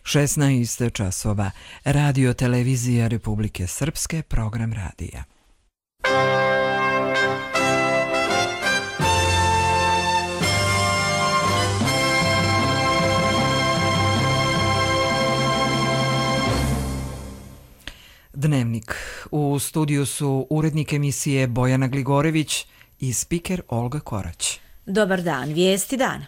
16 časova. Radio televizija Republike Srpske, program radija. Dnevnik. U studiju su urednik emisije Bojana Gligorević i spiker Olga Korać. Dobar dan, vijesti dana.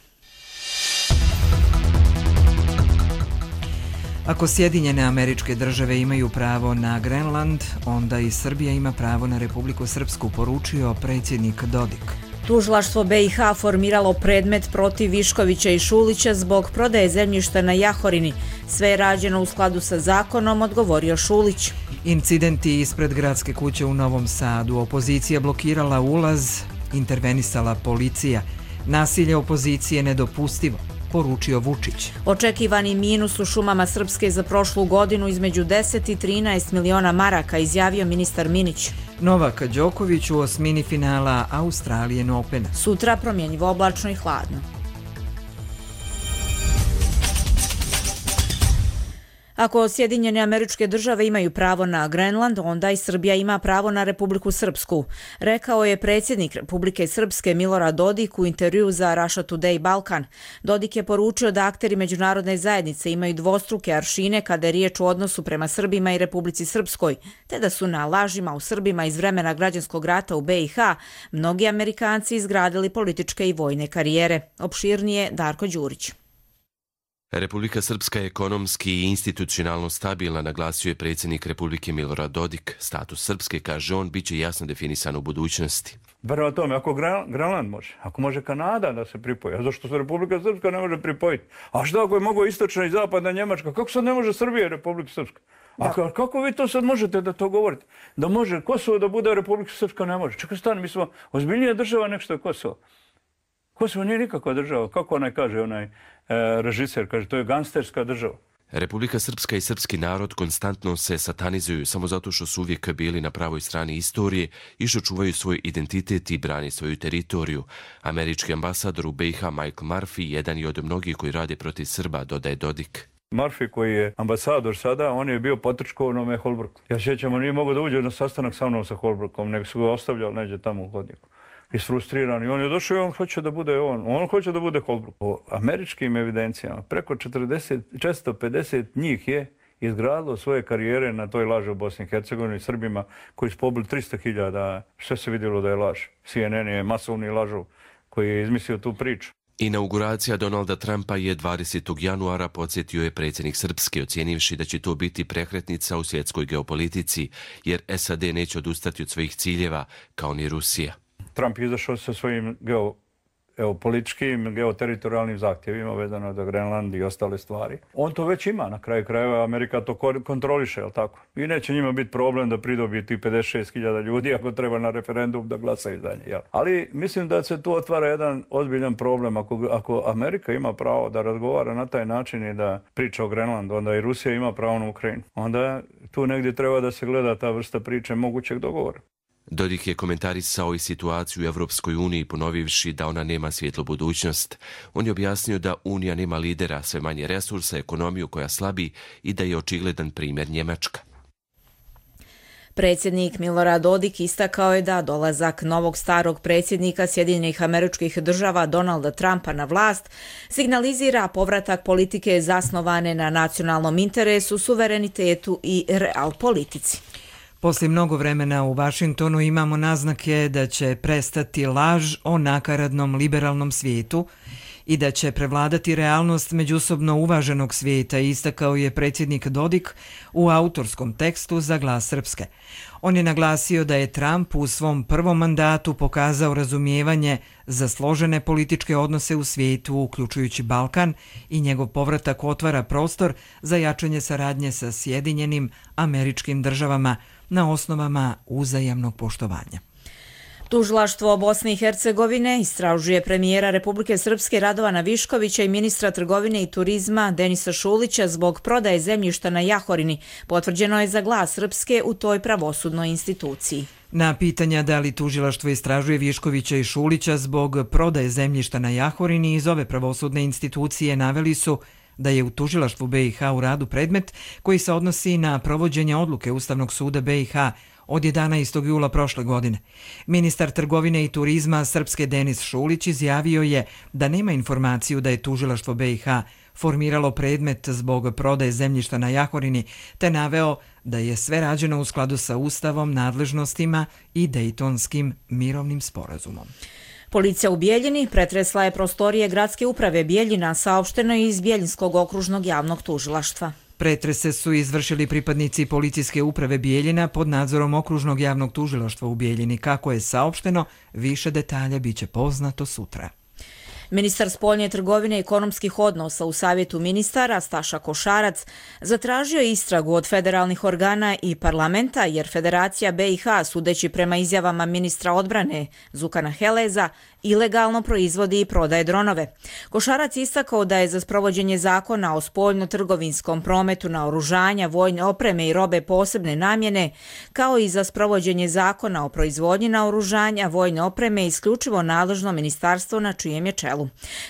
Ako Sjedinjene Američke Države imaju pravo na Grenland, onda i Srbija ima pravo na Republiku Srpsku, poručio predsjednik Dodik. Tužilaštvo BiH formiralo predmet protiv Viškovića i Šulića zbog prodaje zemljišta na Jahorini. Sve je rađeno u skladu sa zakonom, odgovorio Šulić. Incidenti ispred gradske kuće u Novom Sadu. Opozicija blokirala ulaz, intervenisala policija. Nasilje opozicije nedopustivo, poručio Vučić. Očekivani minus u šumama Srpske za prošlu godinu između 10 i 13 miliona maraka, izjavio ministar Minić. Novak Đoković u osmini finala Australian Opena. Sutra promjenjivo oblačno i hladno. Ako Sjedinjene Američke Države imaju pravo na Grenland, onda i Srbija ima pravo na Republiku Srpsku, rekao je predsjednik Republike Srpske Milorad Dodik u intervjuu za Russia Today Balkan. Dodik je poručio da akteri međunarodne zajednice imaju dvostruke aršine kada je riječ o odnosu prema Srbima i Republici Srpskoj, te da su na lažima u Srbima iz vremena građanskog rata u BiH mnogi Amerikanci izgradili političke i vojne karijere. Opširnije Darko Đurić. Republika Srpska je ekonomski i institucionalno stabilna, naglasio je predsjednik Republike Milorad Dodik. Status Srpske, kaže on, bit će jasno definisan u budućnosti. Prema tome, ako Grenland može, ako može Kanada da se pripoji, a zašto se Republika Srpska ne može pripojiti? A što ako je mogo istočna i zapadna Njemačka? Kako sad ne može Srbija i Republika Srpska? A kako vi to sad možete da to govorite? Da može Kosovo da bude Republika Srpska ne može. Čekaj, stani, mi smo ozbiljnija država nek što je Kosovo. Kosovo nije nikakva država. Kako onaj kaže, režiser, kaže, to je gangsterska država. Republika Srpska i srpski narod konstantno se satanizuju samo zato što su uvijek bili na pravoj strani istorije i što čuvaju svoj identitet i brani svoju teritoriju. Američki ambasador u BiH Michael Murphy jedan je od mnogih koji rade protiv Srba, dodaje Dodik. Murphy koji je ambasador sada, on je bio potrčko u onome Holbrooku. Ja sjećam, on nije mogao da uđe na sastanak sa mnom sa Holbrookom, nego su ga ostavljali neđe tamo u hodniku. Isfrustriran i on je došao i on hoće da bude on hoće da bude Holbrook. Po američkim evidencijama preko 450 njih je izgradilo svoje karijere na toj laži u Bosni i Hercegovini, Srbima koji su pobili 300.000, sve se vidjelo da je laž. CNN je masovni lažov koji je izmislio tu priču. Inauguracija Donalda Trumpa je 20. januara, podsjetio je predsjednik Srpske, ocijenivši da će to biti prekretnica u svjetskoj geopolitici, jer SAD neće odustati od svojih ciljeva, kao ni Rusija. Trump je izašao sa svojim geopolitičkim, geoteritorijalnim zahtjevima vezano za Grenland i ostale stvari. On to već ima, na kraju krajeva Amerika to kontroliše, jel tako? I neće njima biti problem da pridobije ti 56.000 ljudi ako treba na referendum da glasaju za nje. Jel? Ali mislim da se tu otvara jedan ozbiljan problem. Ako Amerika ima pravo da razgovara na taj način i da priča o Grenlandu, onda i Rusija ima pravo na Ukrajinu. Onda tu negdje treba da se gleda ta vrsta priče mogućeg dogovora. Dodik je komentarisao i situaciju u Evropskoj uniji, ponovivši da ona nema svjetlu budućnost. On je objasnio da Unija nema lidera, sve manje resursa, ekonomiju koja slabi i da je očigledan primjer Njemačka. Predsjednik Milorad Dodik istakao je da dolazak novog starog predsjednika Sjedinjenih Američkih Država Donalda Trumpa na vlast signalizira povratak politike zasnovane na nacionalnom interesu, suverenitetu i real politici. Poslije mnogo vremena u Vašingtonu imamo naznake da će prestati laž o nakaradnom liberalnom svijetu i da će prevladati realnost međusobno uvaženog svijeta, istakao je predsjednik Dodik u autorskom tekstu za Glas Srpske. On je naglasio da je Trump u svom prvom mandatu pokazao razumijevanje za složene političke odnose u svijetu, uključujući Balkan, i njegov povratak otvara prostor za jačanje saradnje sa Sjedinjenim Američkim Državama na osnovama uzajamnog poštovanja. Tužilaštvo Bosne i Hercegovine istražuje premijera Republike Srpske Radovana Viškovića i ministra trgovine i turizma Denisa Šulića zbog prodaje zemljišta na Jahorini, potvrđeno je za Glas Srpske u toj pravosudnoj instituciji. Na pitanja da li tužilaštvo istražuje Viškovića i Šulića zbog prodaje zemljišta na Jahorini iz ove pravosudne institucije naveli su da je u tužilaštvu BiH u radu predmet koji se odnosi na provođenje odluke Ustavnog suda BiH od 11. jula prošle godine. Ministar trgovine i turizma Srpske Denis Šulić izjavio je da nema informaciju da je tužilaštvo BiH formiralo predmet zbog prodaje zemljišta na Jahorini, te naveo da je sve rađeno u skladu sa Ustavom, nadležnostima i Dejtonskim mirovnim sporazumom. Policija u Bijeljini pretresla je prostorije gradske uprave Bijeljina, saopšteno je iz Bijeljinskog okružnog javnog tužilaštva. Pretrese su izvršili pripadnici policijske uprave Bijeljina pod nadzorom okružnog javnog tužilaštva u Bijeljini. Kako je saopšteno, više detalja biće poznato sutra. Ministar spoljne trgovine i ekonomskih odnosa u Savjetu ministara Staša Košarac zatražio istragu od federalnih organa i parlamenta jer Federacija BiH, sudeći prema izjavama ministra odbrane Zukana Heleza, ilegalno proizvodi i prodaje dronove. Košarac istakao da je za sprovođenje zakona o spoljno-trgovinskom prometu naoružanja, vojne opreme i robe posebne namjene, kao i za sprovođenje zakona o proizvodnji naoružanja, vojne opreme isključivo nadležno ministarstvo na čijem je čelu.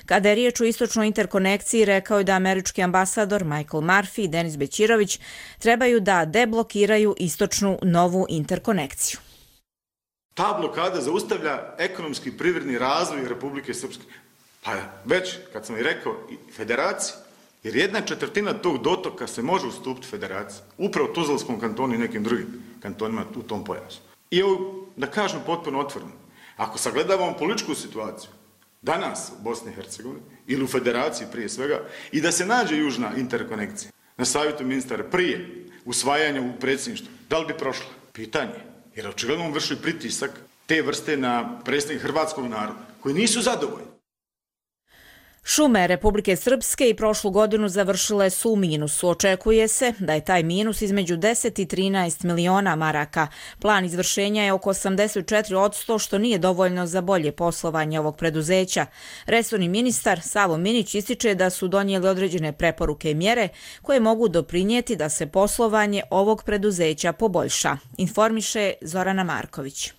Kada je riječ o istočnoj interkonekciji, rekao je da američki ambasador Michael Murphy i Denis Bećirović trebaju da deblokiraju istočnu novu interkonekciju. Ta blokada zaustavlja ekonomski i privredni razvoj Republike Srpske. Pa već, kad sam i rekao, i federaciji, jer 1/4 tog dotoka se može ustupiti federaciji. Upravo u Tuzlanskom kantonu i nekim drugim kantonima u tom pojasu. I ovo, da kažem potpuno otvoreno, ako sagledavamo političku situaciju, danas u Bosni i Hercegovini ili u federaciji prije svega, i da se nađe južna interkonekcija na savjetu ministara prije usvajanja u predsjedništvu, da li bi prošla? Pitanje. Jer očigledno on vrši pritisak te vrste na predstavnike hrvatskog naroda, koji nisu zadovoljni. Šume Republike Srpske i prošlu godinu završile su u minusu. Očekuje se da je taj minus između 10 i 13 miliona maraka. Plan izvršenja je oko 84%, što nije dovoljno za bolje poslovanje ovog preduzeća. Resorni ministar Savo Minić ističe da su donijeli određene preporuke i mjere koje mogu doprinijeti da se poslovanje ovog preduzeća poboljša, informiše Zorana Marković.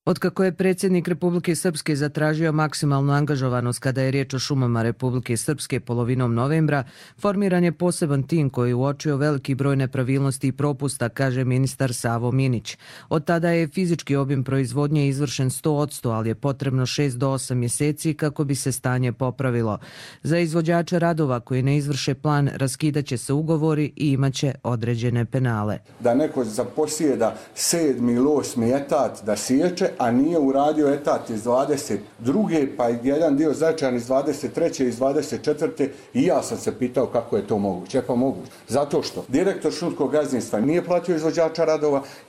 Otkako je predsjednik Republike Srpske zatražio maksimalnu angažovanost kada je riječ o šumama Republike Srpske polovinom novembra, formiran je poseban tim koji je uočio veliki broj nepravilnosti i propusta, kaže ministar Savo Minić. Od tada je fizički obim proizvodnje izvršen 100%, ali je potrebno 6 do 8 mjeseci kako bi se stanje popravilo. Za izvođače radova koji ne izvrše plan raskidaće se ugovori i imaće određene penale. Da neko zaposijeda 7. ili 8. etat da siječe, a nije uradio etat iz 22. pa jedan dio značajan iz 23. i iz 24. i ja sam se pitao kako je to moguće. Pa moguće. Zato što direktor šumskog gazdinstva nije platio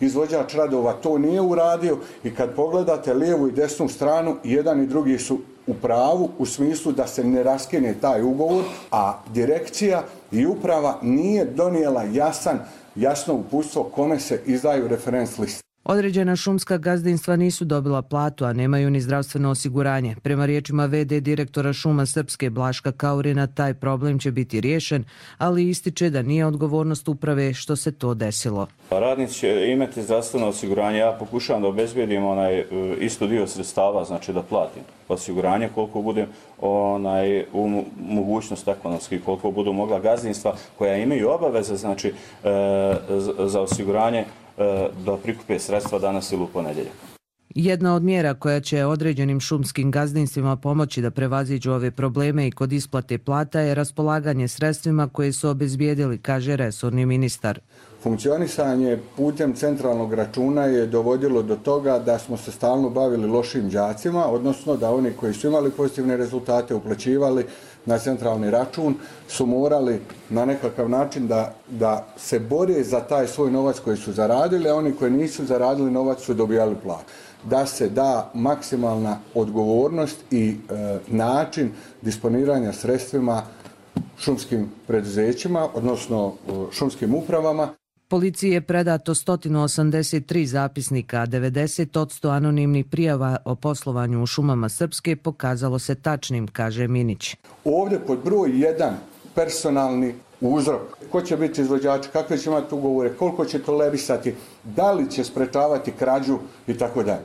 izvođač radova to nije uradio i kad pogledate lijevu i desnu stranu, jedan i drugi su u pravu u smislu da se ne raskine taj ugovor, a direkcija i uprava nije donijela jasno uputstvo kome se izdaju referenc liste. Određena šumska gazdinstva nisu dobila platu, a nemaju ni zdravstveno osiguranje. Prema riječima VD direktora Šuma Srpske Blaška Kaurina, taj problem će biti riješen, ali ističe da nije odgovornost uprave što se to desilo. Radnici će imati zdravstveno osiguranje. Ja pokušavam da obezbijedim isto dio sredstava, znači da platim osiguranje koliko budem u mogućnost ekonomski, koliko budu mogla gazdinstva koja imaju obaveze znači za osiguranje da prikupe sredstva danas ili u ponedjeljak. Jedna od mjera koja će određenim šumskim gazdinstvima pomoći da prevaziđu ove probleme i kod isplate plata je raspolaganje sredstvima koje su obezbijedili, kaže resorni ministar. Funkcionisanje putem centralnog računa je dovodilo do toga da smo se stalno bavili lošim đacima, odnosno da oni koji su imali pozitivne rezultate uplaćivali na centralni račun su morali na nekakav način da se bore za taj svoj novac koji su zaradili, a oni koji nisu zaradili novac su dobijali platu. Da se da maksimalna odgovornost i način disponiranja sredstvima šumskim preduzećima, odnosno šumskim upravama. Policiji je predato 183 zapisnika, a 90% anonimnih prijava o poslovanju u šumama Srpske pokazalo se tačnim, kaže Minić. Ovdje pod broj 1 personalni uzrok. Ko će biti izvođači, kakve će imati ugovore, koliko će tolerisati, da li će sprečavati krađu i tako dalje.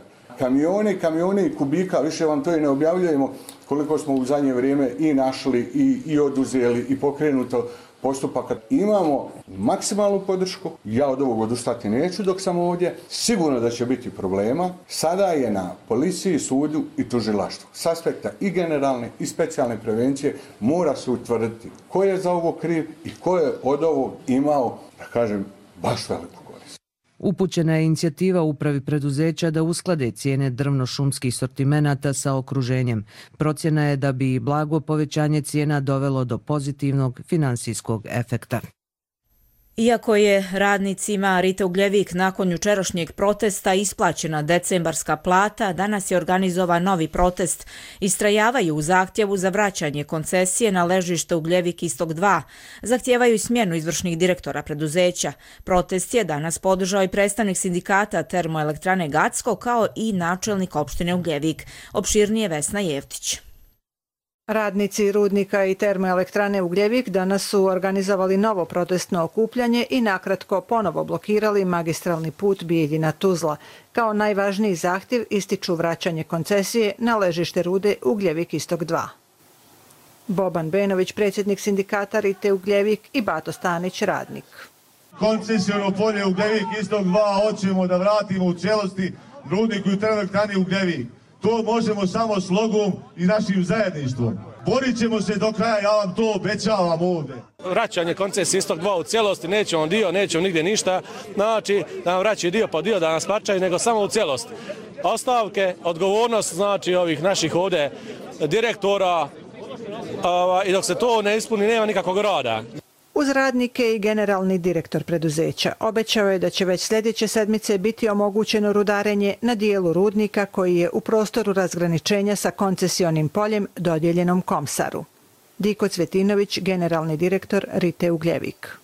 Kamione i kubika, više vam to i ne objavljujemo koliko smo u zadnje vrijeme i našli i oduzeli i pokrenuto postupaka. Imamo maksimalnu podršku, ja od ovog odustati neću dok sam ovdje, sigurno da će biti problema. Sada je na policiji, sudu i tužilaštvu. S aspekta i generalne i specijalne prevencije mora se utvrditi ko je za ovo kriv i ko je od ovog imao, da kažem, baš veliku korist. Upućena je inicijativa upravi preduzeća da usklade cijene drvno-šumskih sortimenata sa okruženjem. Procjena je da bi blago povećanje cijena dovelo do pozitivnog finansijskog efekta. Iako je radnicima Rite Ugljevik nakon jučerašnjeg protesta isplaćena decembarska plata, danas je organizovan novi protest. Istrajavaju u zahtjevu za vraćanje koncesije na ležište Ugljevik Istok 2. Zahtijevaju smjenu izvršnih direktora preduzeća. Protest je danas podržao i predstavnik sindikata Termoelektrane Gacko kao i načelnik opštine Ugljevik. Opširnije Vesna Jevtić. Radnici rudnika i termoelektrane Ugljevik danas su organizovali novo protestno okupljanje i nakratko ponovo blokirali magistralni put Bijeljina-Tuzla. Kao najvažniji zahtjev ističu vraćanje koncesije na ležište rude Ugljevik Istok 2. Boban Benović, predsjednik sindikata Rite Ugljevik, i Bato Stanić, radnik. Koncesijono polje Ugljevik Istok 2 hoćemo da vratimo u cijelosti rudniku i termoelektrani Ugljevik. To možemo samo slogom i našim zajedništvom. Borit ćemo se do kraja, ja vam to obećavam ovdje. Vraćanje koncesije Istok 2 u cijelosti, nećemo dio, nećemo nigdje ništa, znači da nam vraćaju dio po dio, da nas plaćaju, nego samo u cijelosti. Ostavke, odgovornost znači ovih naših ovdje direktora i dok se to ne ispuni nema nikakvog rada. Uz radnike i generalni direktor preduzeća obećao je da će već sljedeće sedmice biti omogućeno rudarenje na dijelu rudnika koji je u prostoru razgraničenja sa koncesionim poljem dodijeljenom Komsaru. Diko Cvetinović, generalni direktor Rite Ugljevik.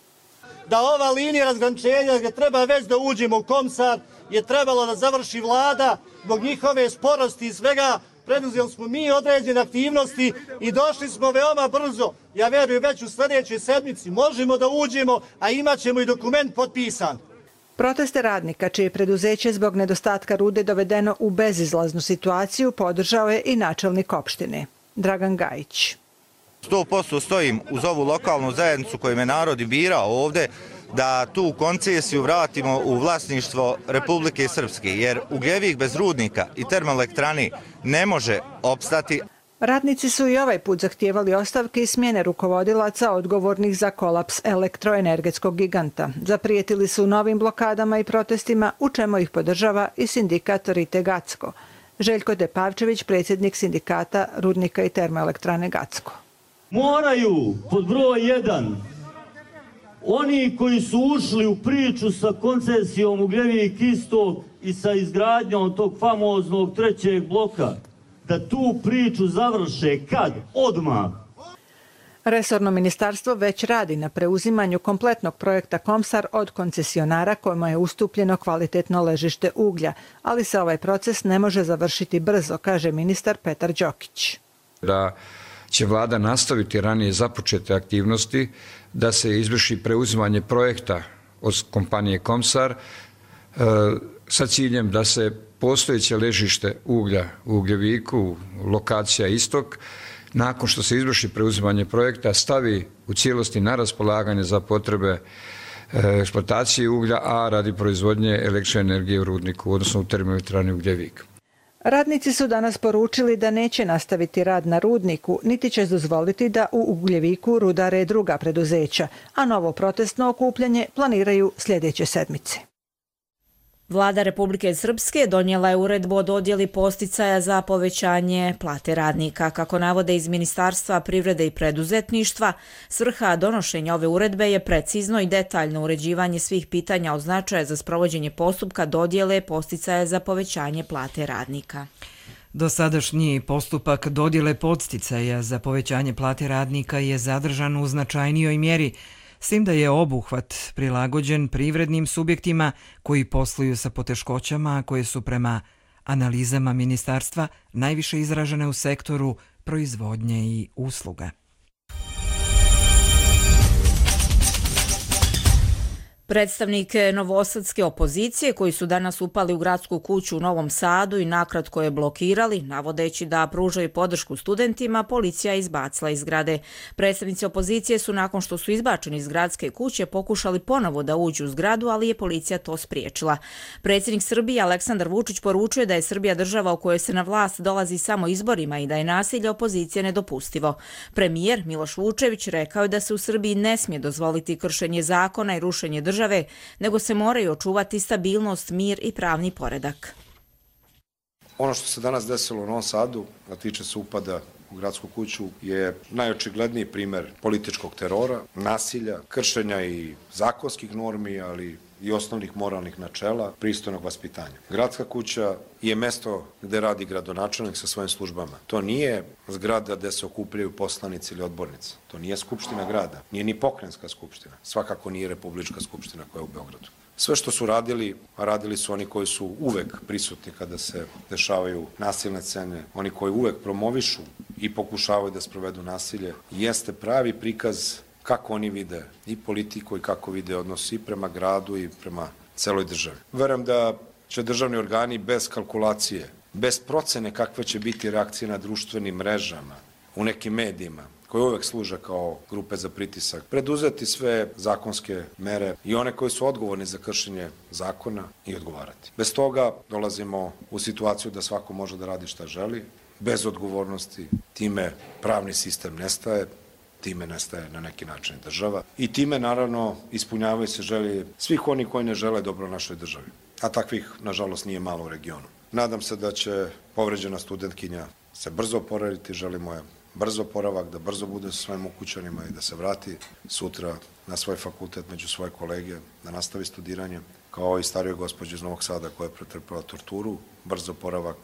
Da ova linija razgraničenja gdje treba već da uđemo u Komsar je trebalo da završi vlada zbog njihove sporosti i svega. Preduzeli smo mi određene aktivnosti i došli smo veoma brzo. Ja verujem već u sljedećoj sedmici možemo da uđemo, a imat ćemo i dokument potpisan. Proteste radnika, čije preduzeće zbog nedostatka rude dovedeno u bezizlaznu situaciju, podržao je i načelnik opštine, Dragan Gajić. 100% stojim uz ovu lokalnu zajednicu koju me narod i birao ovdje, da tu koncesiju vratimo u vlasništvo Republike Srpske, jer Ugljevik bez rudnika i termoelektrani ne može opstati. Radnici su i ovaj put zahtijevali ostavke i smjene rukovodilaca odgovornih za kolaps elektroenergetskog giganta. Zaprijetili su novim blokadama i protestima, u čemu ih podržava i sindikat Rite Gacko. Željko Depavčević, predsjednik sindikata rudnika i termoelektrane Gacko. Moraju, pod broj 1, oni koji su ušli u priču sa koncesijom Ugljevik Istok i sa izgradnjom tog famoznog 3. bloka, da tu priču završe kad? Odmah. Resorno ministarstvo već radi na preuzimanju kompletnog projekta Komsar od koncesionara kojima je ustupljeno kvalitetno ležište uglja, ali se ovaj proces ne može završiti brzo, kaže ministar Petar Đokić. Da će vlada nastaviti ranije započete aktivnosti, da se izvrši preuzimanje projekta od kompanije Komsar sa ciljem da se postojeće ležište uglja u Ugljeviku, lokacija Istok, nakon što se izvrši preuzimanje projekta, stavi u cijelosti na raspolaganje za potrebe eksploatacije uglja, a radi proizvodnje električne energije u rudniku, odnosno u termoelektrani Ugljevik. Radnici su danas poručili da neće nastaviti rad na rudniku, niti će dozvoliti da u Ugljeviku rudare druga preduzeća, a novo protestno okupljanje planiraju sljedeće sedmice. Vlada Republike Srpske donijela je uredbu o dodjeli posticaja za povećanje plate radnika. Kako navode iz Ministarstva privrede i preduzetništva, svrha donošenja ove uredbe je precizno i detaljno uređivanje svih pitanja od značaja za sprovođenje postupka dodjele posticaja za povećanje plate radnika. Dosadašnji postupak dodjele podsticaja za povećanje plate radnika je zadržan u značajnijoj mjeri, s tim da je obuhvat prilagođen privrednim subjektima koji posluju sa poteškoćama, a koje su prema analizama ministarstva najviše izražene u sektoru proizvodnje i usluga. Predstavnike novosadske opozicije koji su danas upali u gradsku kuću u Novom Sadu i nakratko je blokirali, navodeći da pružaju podršku studentima, policija je izbacila iz zgrade. Predstavnici opozicije su nakon što su izbačeni iz gradske kuće pokušali ponovo da uđu u zgradu, ali je policija to spriječila. Predsjednik Srbije Aleksandar Vučić poručuje da je Srbija država u kojoj se na vlast dolazi samo izborima i da je nasilje opozicije nedopustivo. Premijer Miloš Vučević rekao je da se u Srbiji ne smije dozvoliti kršenje zakona i rušenje države, nego se moraju očuvati stabilnost, mir i pravni poredak. Ono što se danas desilo u Novom Sadu, a tiče se upada u gradsku kuću, je najočigledniji primer političkog terora, nasilja, kršenja i zakonskih normi, ali i osnovnih moralnih načela, pristojnog vaspitanja. Gradska kuća je mesto gde radi gradonačelnik sa svojim službama. To nije zgrada gde se okupljaju poslanici ili odbornici. To nije skupština grada, nije ni pokrajinska skupština. Svakako nije republička skupština koja je u Beogradu. Sve što su radili, a radili su oni koji su uvek prisutni kada se dešavaju nasilne scene, oni koji uvek promovišu i pokušavaju da sprovedu nasilje, jeste pravi prikaz kako oni vide i politiku i kako vide odnos i prema gradu i prema celoj državi. Verujem da će državni organi bez kalkulacije, bez procene kakve će biti reakcije na društvenim mrežama, u nekim medijima, koje uvek služe kao grupe za pritisak, preduzeti sve zakonske mere i one koji su odgovorni za kršenje zakona i odgovarati. Bez toga dolazimo u situaciju da svako može da radi šta želi, bez odgovornosti, time pravni sistem nestaje, time nestaje na neki način država i time naravno ispunjavaju se želje svih oni koji ne žele dobro našoj državi, a takvih nažalost nije malo u regionu. Nadam se da će povređena studentkinja se brzo oporaviti, želimo je brzo oporavak, da brzo bude sa svojim ukućanima i da se vrati sutra na svoj fakultet među svoje kolege, da nastavi studiranje, kao i starijoj gospođi iz Novog Sada koja je pretrpela torturu, brzo oporavak.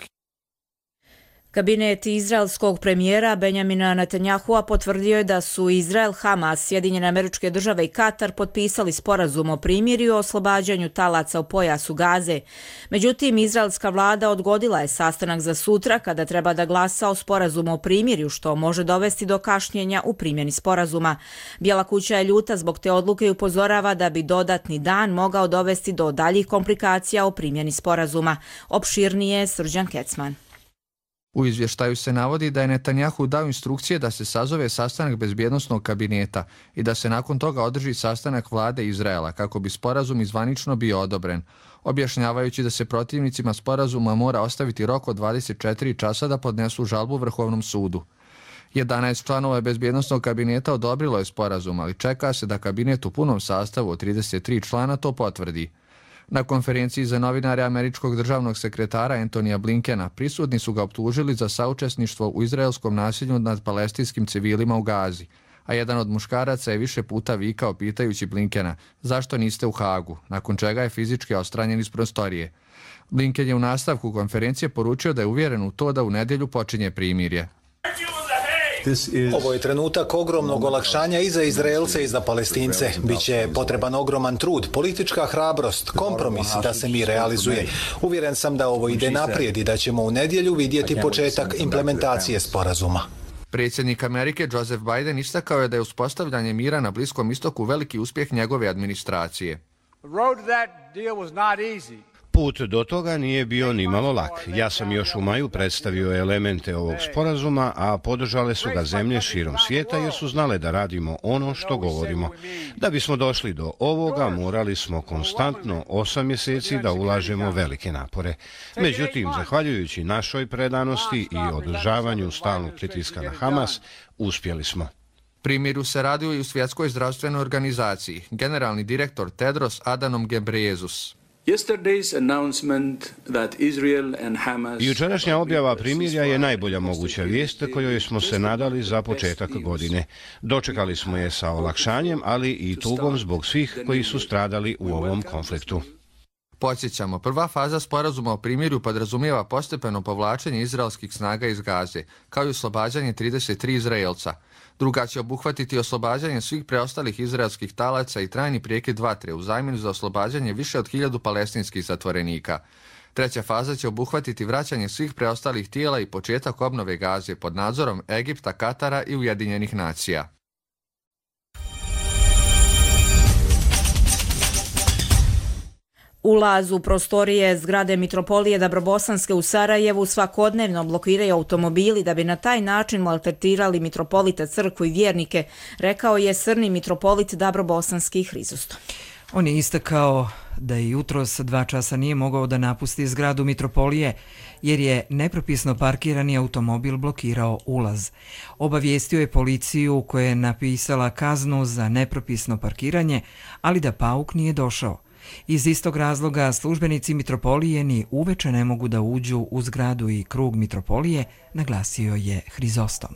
Kabinet izraelskog premijera Benjamina Netanjahua potvrdio je da su Izrael, Hamas, Sjedinjene Američke Države i Katar potpisali sporazum o primirju i oslobađanju talaca u pojasu Gaze. Međutim, izraelska vlada odgodila je sastanak za sutra kada treba da glasa o sporazumu o primirju, što može dovesti do kašnjenja u primjeni sporazuma. Bijela kuća je ljuta zbog te odluke i upozorava da bi dodatni dan mogao dovesti do daljih komplikacija o primjeni sporazuma. Opširnije Srđan Kecman. U izvještaju se navodi da je Netanjahu dao instrukcije da se sazove sastanak bezbjednosnog kabineta i da se nakon toga održi sastanak vlade Izraela kako bi sporazum izvanično bio odobren, objašnjavajući da se protivnicima sporazuma mora ostaviti rok od 24 časa da podnesu žalbu Vrhovnom sudu. 11 članova bezbjednosnog kabineta odobrilo je sporazum, ali čeka se da kabinet u punom sastavu od 33 člana to potvrdi. Na konferenciji za novinare američkog državnog sekretara Antonija Blinkena prisutni su ga optužili za saučesništvo u izraelskom nasilju nad palestinskim civilima u Gazi, a jedan od muškaraca je više puta vikao pitajući Blinkena zašto niste u Hagu, nakon čega je fizički odstranjen iz prostorije. Blinken je u nastavku konferencije poručio da je uvjeren u to da u nedjelju počinje primirje. Ovo je trenutak ogromnog olakšanja i za Izraelce i za Palestince. Biće potreban ogroman trud, politička hrabrost, kompromis da se mir realizuje. Uvjeren sam da ovo ide naprijed i da ćemo u nedjelju vidjeti početak implementacije sporazuma. Predsjednik Amerike Joseph Biden istakao je da je uspostavljanje mira na Bliskom istoku veliki uspjeh njegove administracije. Put do toga nije bio ni malo lak. Ja sam još u maju predstavio elemente ovog sporazuma, a podržale su ga zemlje širom svijeta jer su znale da radimo ono što govorimo. Da bismo došli do ovoga, morali smo konstantno 8 mjeseci da ulažemo velike napore. Međutim, zahvaljujući našoj predanosti i održavanju stalnog pritiska na Hamas, uspjeli smo. Primirju se radi i u Svjetskoj zdravstvenoj organizaciji. Generalni direktor Tedros Adhanom Ghebreyesus. Jučerašnja objava primirja je najbolja moguća vijest kojoj smo se nadali za početak godine. Dočekali smo je sa olakšanjem, ali i tugom zbog svih koji su stradali u ovom konfliktu. Podsjećamo, prva faza sporazuma o primirju podrazumijeva postepeno povlačenje izraelskih snaga iz Gaze, kao i oslobađanje 33 Izraelca. Druga će obuhvatiti oslobađanje svih preostalih izraelskih talaca i trajni prekid vatre u zamjenu za oslobađanje više od 1000 palestinskih zatvorenika. Treća faza će obuhvatiti vraćanje svih preostalih tijela i početak obnove Gaze pod nadzorom Egipta, Katara i Ujedinjenih nacija. Ulaz u prostorije zgrade Mitropolije Dabrobosanske u Sarajevu svakodnevno blokiraju automobili da bi na taj način maltretirali mitropolita, crkvu i vjernike, rekao je srni mitropolit Dabrobosanski Hrizostom. On je istakao da i jutros 2 časa nije mogao da napusti zgradu Mitropolije jer je nepropisno parkirani automobil blokirao ulaz. Obavijestio je policiju koja je napisala kaznu za nepropisno parkiranje, ali da pauk nije došao. Iz istog razloga službenici Mitropolije ni uveče ne mogu da uđu u zgradu i krug Mitropolije, naglasio je Hrizostom.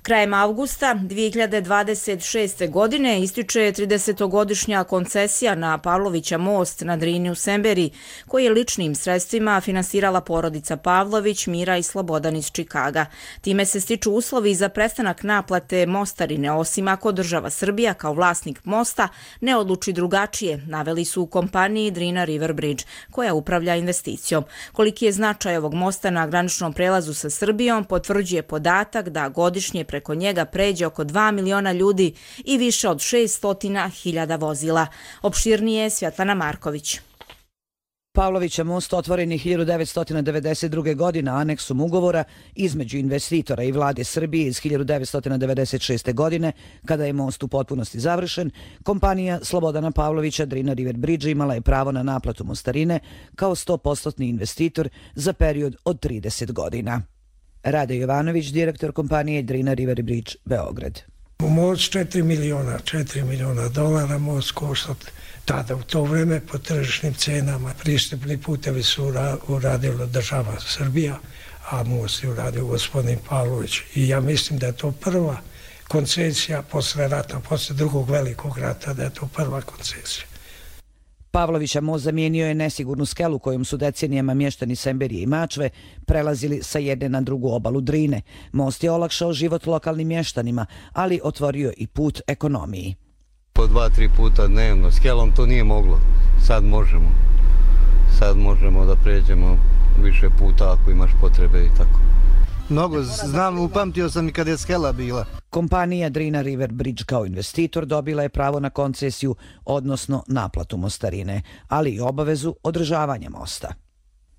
Krajem avgusta 2026. godine ističe 30-godišnja koncesija na Pavlovića most na Drini u Semberiji, koji je ličnim sredstvima finansirala porodica Pavlović, Mira i Slobodan iz Čikaga. Time se stiču uslovi za prestanak naplate mostarine, osim ako država Srbija kao vlasnik mosta ne odluči drugačije, naveli su u kompaniji Drina River Bridge, koja upravlja investicijom. Koliki je značaj ovog mosta na graničnom prelazu sa Srbijom, potvrđuje podatak da godišnje preko njega pređe oko 2 miliona ljudi i više od 600.000 vozila. Opširnije Svjetlana Marković. Pavlovića most otvoren je 1992. godine aneksom ugovora između investitora i vlade Srbije iz 1996. godine, kada je most u potpunosti završen. Kompanija Slobodana Pavlovića Drina River Bridge imala je pravo na naplatu mostarine kao 100% investitor za period od 30 godina. Rade Jovanović, direktor kompanije Drina River Bridge, Beograd. Most $4 miliona dolara, most košta tada u to vreme po tržišnim cenama. Pristupni putevi su uradila država Srbija, a most je uradio gospodin Pavlović. I ja mislim da je to prva koncesija posle rata, posle drugog velikog rata, da je to prva koncesija. Pavlovića most zamijenio je nesigurnu skelu kojom su decenijama mještani Semberije i Mačve prelazili sa jedne na drugu obalu Drine. Most je olakšao život lokalnim mještanima, ali otvorio i put ekonomiji. Po 2-3 puta dnevno, skelom to nije moglo. Sad možemo. Sad možemo da pređemo više puta ako imaš potrebe i tako. Mnogo znam, upamtio sam i kad je skela bila. Kompanija Drina River Bridge kao investitor dobila je pravo na koncesiju, odnosno naplatu mostarine, ali i obavezu održavanja mosta.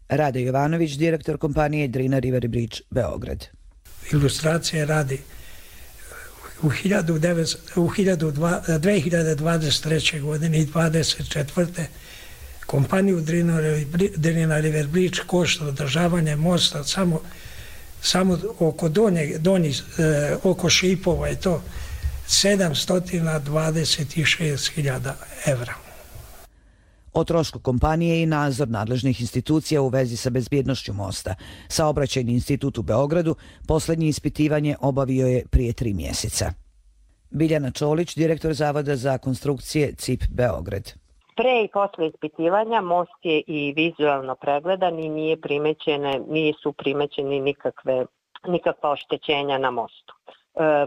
Rade Jovanović, direktor kompanije Drina River Bridge, Beograd. Ilustracije radi u 2023. godine i 2024. kompaniju Drina River Bridge košta održavanje mosta samo oko oko šipova je to 726.000 evra. O trošku kompanije i nadzor nadležnih institucija u vezi sa bezbjednošću mosta. Saobraćajni institut u Beogradu posljednje ispitivanje obavio je prije 3 mjeseca. Biljana Čolić, direktor Zavoda za konstrukcije CIP Beograd. Pre i posle ispitivanja most je i vizualno pregledan i nisu primećeni nikakva oštećenja na mostu.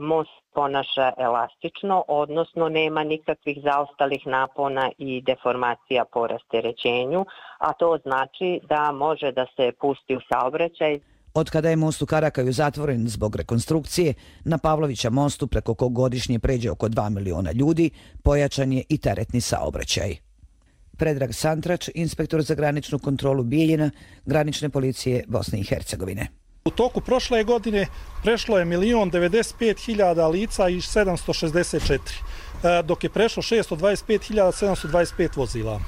Most ponaša elastično, odnosno nema nikakvih zaostalih napona i deformacija po rasterećenju, a to znači da može da se pusti u saobraćaj. Od kada je most u Karakaju zatvoren zbog rekonstrukcije, na Pavlovića mostu preko kog godišnje pređe oko 2 miliona ljudi, pojačan je i teretni saobraćaj. Predrag Santrač, inspektor za graničnu kontrolu Bijeljina, granične policije Bosne i Hercegovine. U toku prošle godine prešlo je 1.095.000 lica i 764, dok je prešlo 625.725 vozila.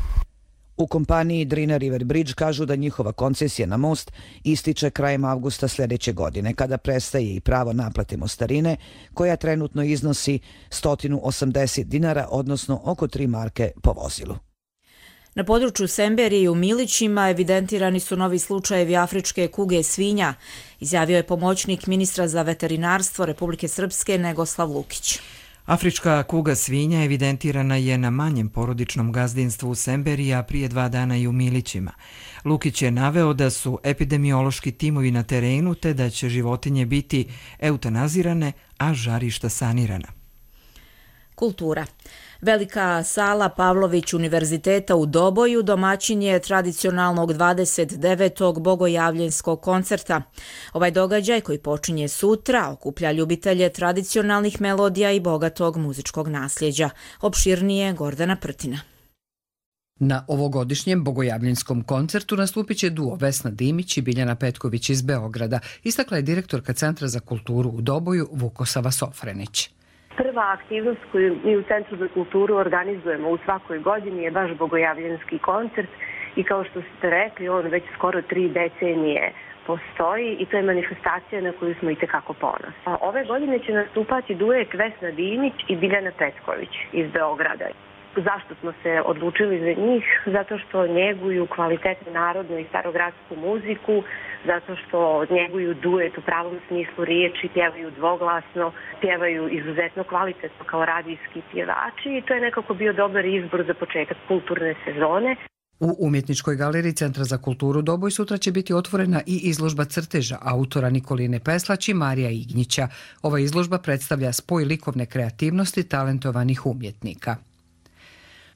U kompaniji Drina River Bridge kažu da njihova koncesija na most ističe krajem avgusta sljedeće godine, kada prestaje i pravo naplate mostarine, koja trenutno iznosi 180 dinara, odnosno oko 3 marke po vozilu. Na području Semberije i u Milićima evidentirani su novi slučajevi afričke kuge svinja, izjavio je pomoćnik ministra za veterinarstvo Republike Srpske Negoslav Lukić. Afrička kuga svinja evidentirana je na manjem porodičnom gazdinstvu u Semberiji, a prije 2 dana i u Milićima. Lukić je naveo da su epidemiološki timovi na terenu te da će životinje biti eutanazirane, a žarišta sanirana. Kultura. Velika sala Pavlović Univerziteta u Doboju domaćin je tradicionalnog 29. bogojavljenskog koncerta. Ovaj događaj, koji počinje sutra, okuplja ljubitelje tradicionalnih melodija i bogatog muzičkog nasljeđa. Opširnije Gordana Prtina. Na ovogodišnjem bogojavljanskom koncertu nastupit će duo Vesna Dimić i Biljana Petković iz Beograda, istakla je direktorka Centra za kulturu u Doboju Vukosava Sofrenić. Prva aktivnost koju mi u Centru za kulturu organizujemo u svakoj godini je baš bogojavljanski koncert i kao što ste rekli, on već skoro 3 decenije postoji i to je manifestacija na koju smo itekako ponosni. Ove godine će nastupati duet Vesna Dimić i Biljana Petković iz Beograda. Zašto smo se odlučili za njih? Zato što njeguju kvalitetnu narodnu i starogradsku muziku, zato što njeguju duet u pravom smislu riječi, pjevaju dvoglasno, pjevaju izuzetno kvalitetno kao radijski pjevači i to je nekako bio dobar izbor za početak kulturne sezone. U Umjetničkoj galeriji Centra za kulturu Doboj sutra će biti otvorena i izložba crteža autora Nikoline Peslać i Marija Ignjića. Ova izložba predstavlja spoj likovne kreativnosti talentovanih umjetnika.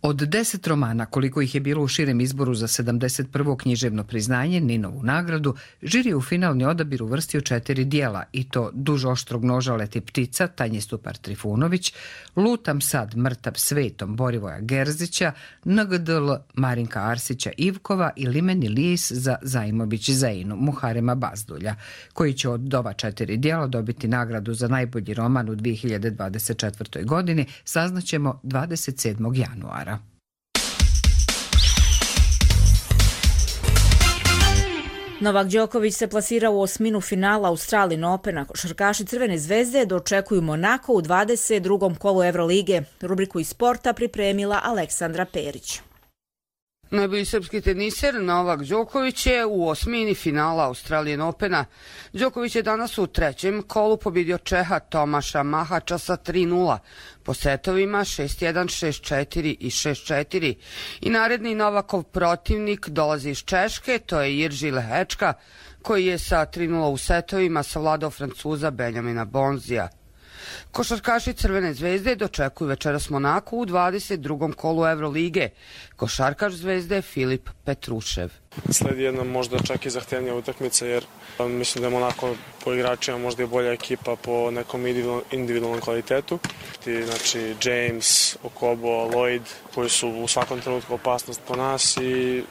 Od 10 romana, koliko ih je bilo u širem izboru za 71. književno priznanje, Ninovu nagradu, žiri je u finalni odabir uvrstio 4 dijela, i to Duž oštrog noža leti ptica, Tanje Stupar Trifunović, Lutam sad mrtav svetom Borivoja Gerzića, NGDL Marinka Arsića Ivkova i Limeni lis za Zajmović Zeinu Muharema Bazdulja, koji će od ova 4 dijela dobiti nagradu za najbolji roman u 2024. godini, saznaćemo 27. januara. Novak Đoković se plasira u osminu finala Australian Opena. Košarkaši Crvene zvezde dočekuju Monako u 22. kolu Evrolige. Rubriku iz sporta pripremila Aleksandra Perić. Najbolji srpski teniser Novak Đoković je u osmini finala Australian Opena. Đoković je danas u 3. kolu pobjedio Čeha Tomaša Mahača sa 3-0 po setovima 6-1, 6-4 i 6-4. I naredni Novakov protivnik dolazi iz Češke, to je Jirži Lehečka, koji je sa 3-0 u setovima savladao Francuza Benjamina Bonzija. Košarkaši Crvene zvezde dočekuju večeras Monaku u 22. kolu Evrolige. Košarkaš Zvezde Filip Petrušev. Sledi jedna možda čak i zahtevnija utakmica jer mislim da je Monako po igračima možda i bolja ekipa po nekom individualnom kvalitetu. Znači James, Okobo, Lloyd koji su u svakom trenutku opasnost po nas i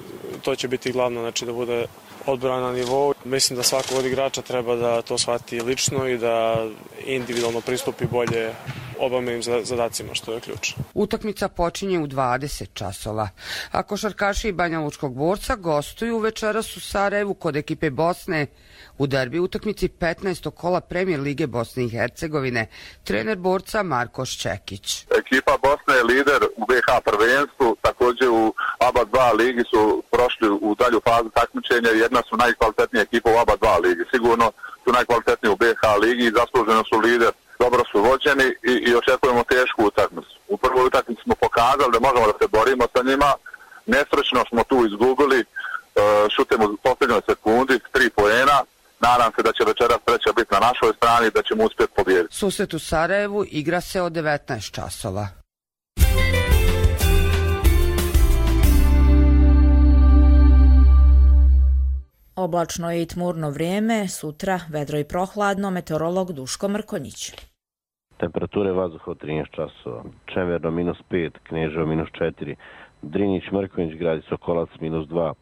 to će biti glavno, znači da bude odbrana na nivou. Mislim da svako od igrača treba da to shvati lično i da individualno pristupi bolje obavljenim zadacima, što je ključ. Utakmica počinje u 20 časova, a košarkaši Banja Lučkog Borca gostuju večeras u Sarajevu kod ekipe Bosne u derbi utakmici 15. kola Premijer Lige Bosne i Hercegovine. Trener Borca Marko Šćekić. Ekipa Bosne je lider u BiH prvenstvu, također u ABA 2 ligi su prošli u dalju fazu takmičenja i jedna su najkvalitetnije ekipa u ABA 2 ligi. Sigurno su najkvalitetniji u BiH ligi i zasluženo su lider. Dobro su vođeni i očekujemo tešku utakmicu. U prvoj utakmici smo pokazali da možemo da se borimo sa njima. Nesrećno smo tu izgubili, šutemo u posljednjoj sekundi, 3 poena. Nadam se da će večeras treća biti na našoj strani i da ćemo uspjeti pobijediti. Susret u Sarajevu igra se od 19 časova. Oblačno je i tmurno vrijeme, sutra vedro i prohladno, meteorolog Duško Mrkonjić. Temperature vazduha od 13 časova, Čemerno -5, Kneževo -4, Drinjić, Mrkonjić, Gradić, Sokolac -2,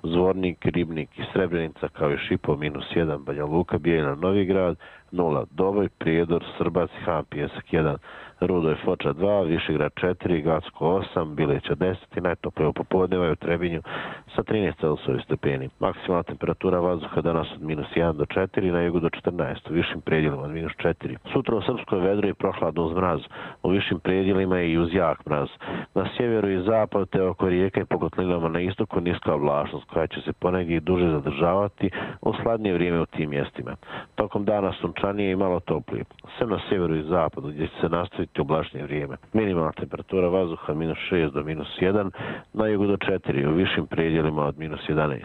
Zvornik, Ribnik i Srebrenica kao i Šipo -1, Banja Luka, Bijeljina, Novi Grad 0, Doboj, Prijedor, Srbac, Han, Pijesak 1, Rudo i Foča 2, Višegrad 4, Gacko 8, Bileća 10 i najtoplije popodneva je u Trebinju sa 13 Celsiusovih stepeni. Maksimalna temperatura vazduha danas od -1 do 4, na jugu do 14, u višim predjelima od -4. Sutra u Srpskoj vedro i prohladno uz mraz, u višim predjelima i uz jak mraz. Na sjeveru i zapadu te oko rijeka i po kotlinama na istoku niska oblačnost koja će se ponegdje duže zadržavati u sladnije vrijeme u tim mjestima. Tokom dana sunčanije i malo toplije, sem na sjeveru i zapadu gdje će se nastaviti oblačnije vrijeme. Minimalna temperatura vazduha -6 do -1, na jugu do 4, u višim predjelima od -11.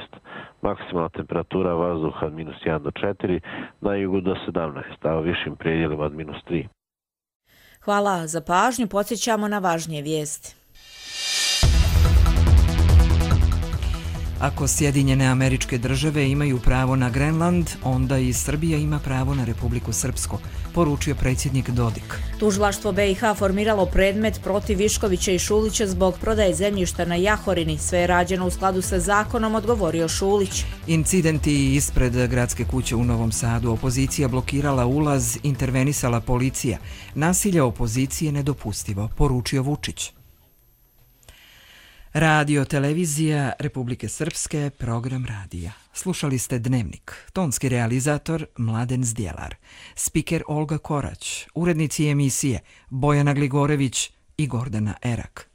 Maksimalna temperatura vazduha od -1 do 4, na jugu do 17, a u višim predjelima od -3. Hvala za pažnju, podsjećamo na važnije vijesti. Ako Sjedinjene Američke Države imaju pravo na Grenland, onda i Srbija ima pravo na Republiku Srpsku, poručio predsjednik Dodik. Tužilaštvo BiH formiralo predmet protiv Viškovića i Šulića zbog prodaje zemljišta na Jahorini. Sve je rađeno u skladu sa zakonom, odgovorio Šulić. Incidenti ispred gradske kuće u Novom Sadu. Opozicija blokirala ulaz, intervenisala policija. Nasilje opozicije nedopustivo, poručio Vučić. Radio televizija Republike Srpske, program radija. Slušali ste Dnevnik. Tonski realizator Mladen Zdjelar. Spiker Olga Korać. Urednici emisije Bojana Gligorević i Gordana Erak.